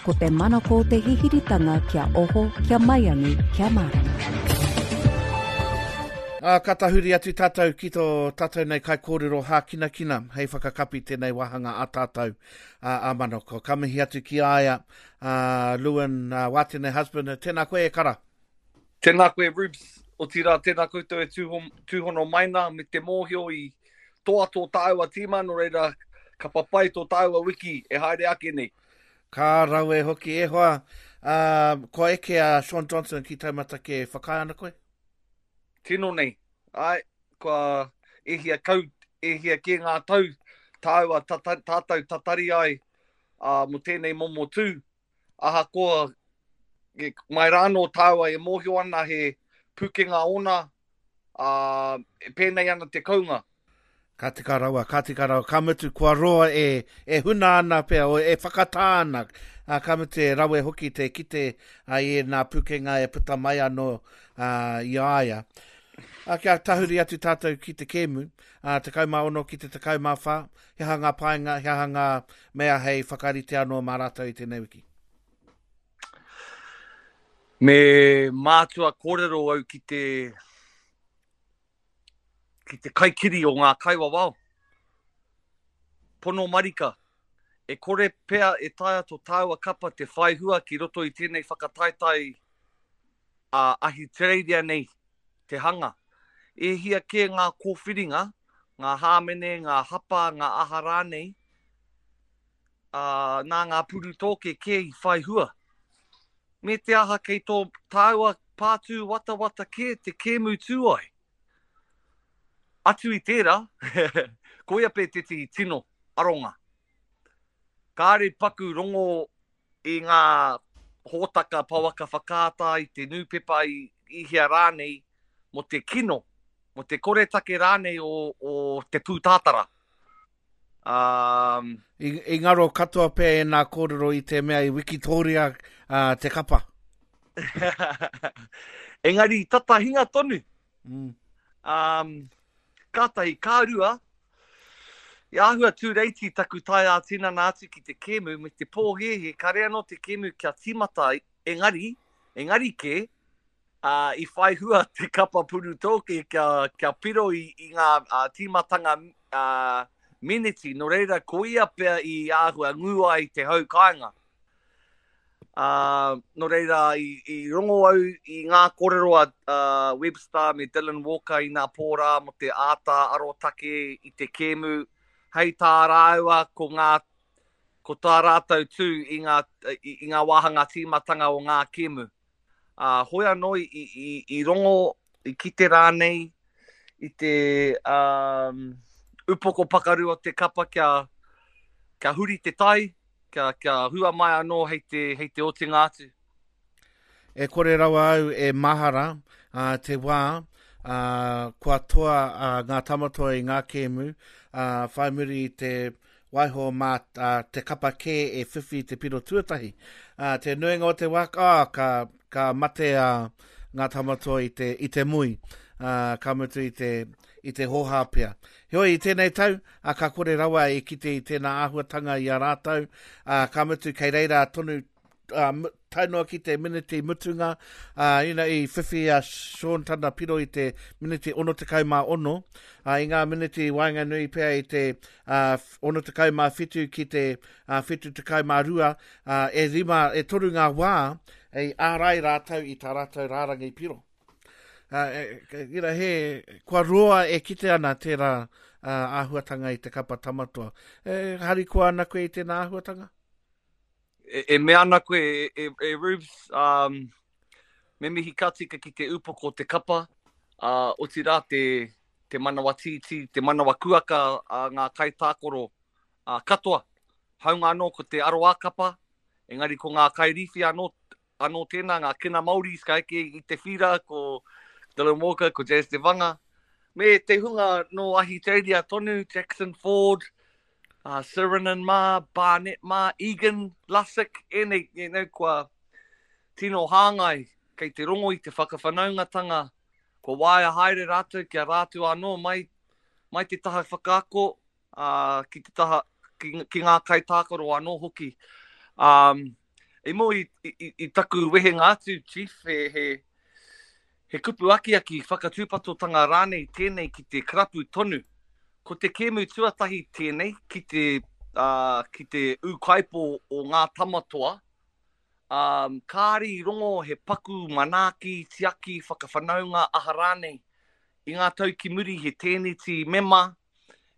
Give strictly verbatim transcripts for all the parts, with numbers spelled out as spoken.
Ko te manako te hihiritanga kia oho, kia maiangi, kia mārama. Ā, ka tahuri atu tātou ki tō tātou nei kaikōrero hākinakina hei whakakapi tēnei wāhanga a tātou a, a Manako. Ka mihi atu ki a ia, a Lewin a Watene Husband. Tēnā koe e kara. Tēnā koe Rubes, otirā tēnā koutou e tūhon, tūhono mai nā me te mōhio i toa tō tāua tīma, nō reira ka papai tō tāua wiki e haere ake nei. Ka rawe hoki e hoa, uh, kua eke a Shaun Johnson ki taumata kē, whakaae ana koe? Tino nei, ai, kua e hia kau, e hia kē ngā tau tāua tata, tātou tatari ai uh, mō tēnei momo tū. Ahakoa, e, mai rānō tāua e mōhio ana he pukenga ōna, uh, e pēnei ana te kounga. Ka tika rawa, ka tika rawa, ka mutu kua roa e, e huna ana pea, o e whakatā ana, a, ka mutu e rawe hoki te kite a, i nā pukenga e puta mai anō a, i a ia. A, kia tahuri atu tātou ki te kēmu, a, tekau mā ono ki te tekau mā whā, he aha ngā painga, he aha ngā mea hei whakarite anō mā rātou i tēnei wiki? Me mātua kōrero au ki te ki te kaikiri o ngā kaiwawao. Pono marika, e kore pea e taea tō tāua kapa te whai hua ki roto i tēnei whakataetae a Ahitereiria nei te hanga. E hia kē ngā kōwhiringa, ngā hāmene, ngā hapa, ngā aha rānei, uh, nā ngā purutōke kē i whai hua. Me te aha kei tō tāua pātū watawata kē te kēmu tū ai. Atu i tērā, koia pē tētehi tino aronga. Kāre paku rongo i ngā hōtaka pouaka whakaata i te nūpepa i, i hea rānei mō te kino, mō te koretake rānei o, o te pūtātara. Um, I, i ngaro katoa pea e nā kōrero i te mea i Wikitoria uh, te kapa. Engari tata hinga tonu. Mm. Um, kātahi, ka rua, i āhua tūreiti taku tae ā-tinana atu ki te kēmu me te pōhēhē, kare anō te kēmu kia tīmata, engari, engari kē, uh, i whai hua te kapa purutōke kia, kia piro i, i ngā uh, tīmatanga uh, miniti, nō reira ko ia pea i āhua ngū ai te hau kāinga. Uh, nō reira, i, i rongo au i ngā kōrero a uh, Webster me Dylan Walker i nā pōrā mō te āta arotake i te kēmu. Hei tā rāua ko ngā, ko tā rātou tū i ngā, i, i ngā wāhanga tīmatanga o ngā kēmu. Uh, hoi anō i, i, i rongo, i kite rānei i te um, upoko pakaru o te kapa kia, kia huri te tai, kia, kia hua mai anō hei te, hei te otinga atu. E kore rawa au e mahara uh, te wā uh, kua toa uh, ngā tamatoa i ngā kēmu, uh, whai muri i te waiho mā uh, te kapa kē e whiwhi te piro tuatahi. Uh, te nuinga o te wā, oh, ka, ka mate uh, ngā tamatoa i te, i te mui, uh, ka mutu i te, i te hōhā pea. Heoi, i tēnei tau, a ka kore rawa e kite i tēnā āhuatanga i a rātou, a, ka mutu kei reira tonu uh, tae noa ki te miniti mutunga, uh, you know, i whiwhi a Shaun tana piro i te miniti ono tekau mā ono, uh, i ngā miniti waenganui pea i te uh, ono tekau mā whitu ki te uh, whitu tekau mā rua, uh, e rima, e toru ngā wā, e ārai rātou i tā rātou rārangi piro. Uh, e, you know, he, kua roa e kite ana tērā uh, āhuatanga i te kapa tamatoa. E, harikoa ana koe i tēnā āhuatanga? E, e mea ana koe, e, e, e Rubes, um, me mihi ka tika ki te upoko te kapa, uh, otirā te, te manawa tītī, te manawa kuaka a ngā kaitākaro uh, katoa. Haunga anō ko te aroā kapa, engari ko ngā kairīwhi anō, anō tēnā, ngā kina Māoris ka eke i te whira, ko Dylan Walker, ko Jazz Te Vanga, me te hunga no Ahitereiria tonu, Jackson Ford, uh, Sironen mā, Barnett mā, Egan, Lussick, ēnei, ēnei kua tino hāngai kei te rongo i te whakawhanaungatanga, kua waia haere rātou kia rātou anō mai, mai te taha whakaako, uh, ki te taha, ki, ki ngā kaitākaro anō hoki. Um, I mua i, i, i taku wehenga atu, Chief, he, he, he kupu akiaki whakatūpatotanga rānei tēnei ki te karapu tonu. Ko te kēmu tuatahi tēnei ki te, uh, ki te ūkaipo o ngā tamatoa, um, kāri i rongo he paku manaaki, tiaki, whakawhanaunga, aha rānei. I ngā tau ki muri he tēneti mema,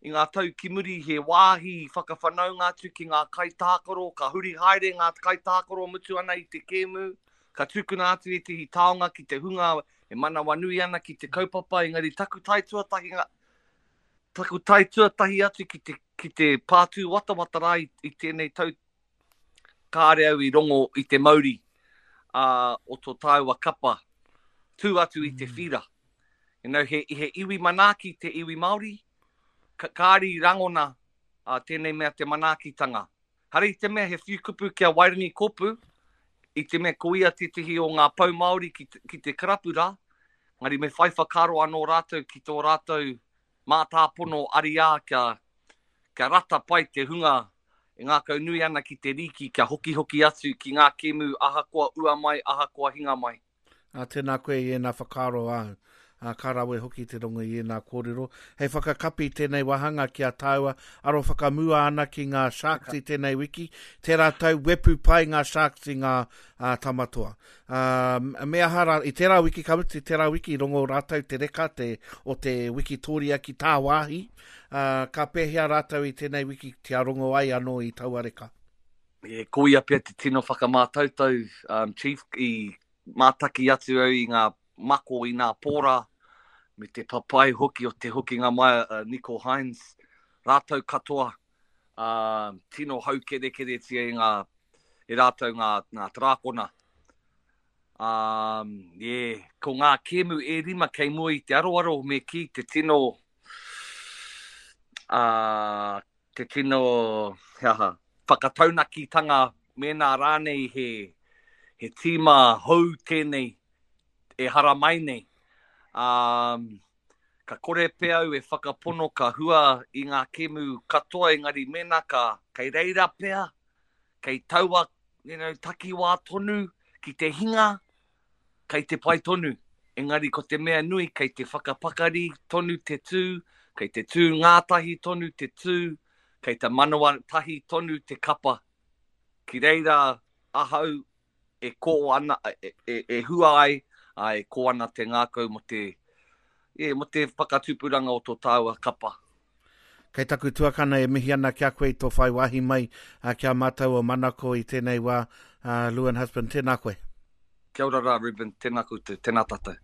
i ngā tau ki muri he wāhi whakawhanaunga atu ki ngā kaitākaro, ka huri haere ngā kaitākaro mutu ana i te kēmu, ka tukuna atu ētehi taonga ki te hunga e manawanui ana ki te kaupapa, engari taku tae tuatahi, taku tae tuatahi atu ki te, ki te pātū watawata rā i, i tēnei tau, kāre au i rongo i te mauri uh, o tō tāua kapa, tū atu i te whira. You know, he, he iwi manaaki te iwi Māori, ka, kāri rangona uh, tēnei mea te manaakitanga. Hari i te mea he whiu kupu kia Wairangi Kōpū, i te mea ko ia tētehi o ngā pau Māori ki, te, ki te karapu rā, ngari me whai whakaaro anō rātou ki tō rātou mātāpono ariā kia, kia rata pai te hunga e ngākau nui ana ki te rīki kia hokihoki atu ki ngā kēmu ahakoa ua mai, ahakoa hinga mai. A, tēnā koe i ēnā whakaaro āu. A, ka rawe hoki te rongo i ēnā kōrero. Hei whakakapi tēnei wāhanga ki a tāua, aro whakamua ana ki ngā Sharks i tēnei wiki. Tērā tau wepu pai ngā Sharks i ngā uh, tamatoa. Uh, me aha rā, i tērā wiki, ka mutu, tērā wiki, rongo rātou te reka te, o te Wikitoria ki tāwāhi. Uh, ka pēhea rātou i tēnei wiki tia rongo ai anō i taua reka? E, ko ia pea te tino whakamātautau, um, Chief, i mātaki atu au i ngā mako i ngā pōra, me te papai hoki o te hokinga mai uh, Nico Hines, rātou katoa, uh, tino haukerekeretia i ngā, e rātou ngā, ngā trākona. Um, yeah, ko ngā kēmu e rima kei mua i te aroaro me ki te tino, uh, te tino, he aha, whakataunakitanga mēnā rānei he, he tīma hou tēnei e haramai nei. Um, ka kore pea au e whakapono ka hua i ngā kēmu katoa, engari mēnā ka kei reira pea, kei taua, you know, takiwā tonu ki te hinga, kei te pai tonu. Engari ko te mea nui, kei te whakapakari tonu te tū, kei te tū ngātahi tonu te tū, kei te manawa tahi tonu te kapa. Ki reira ahau e kō ana, e, e, e hua ai, a e kō ana te ngākau mo te, e, mo te whakatupuranga o tō tāua kapa. Kei taku tuakana e mihi ana kia koe i tō whai wāhi mai uh, kia mātau o Manako i tēnei wā, uh, Lewin Husband, tēnā koe. Kia ora rā, Ruben, tēnā koutou, tēnā tātou.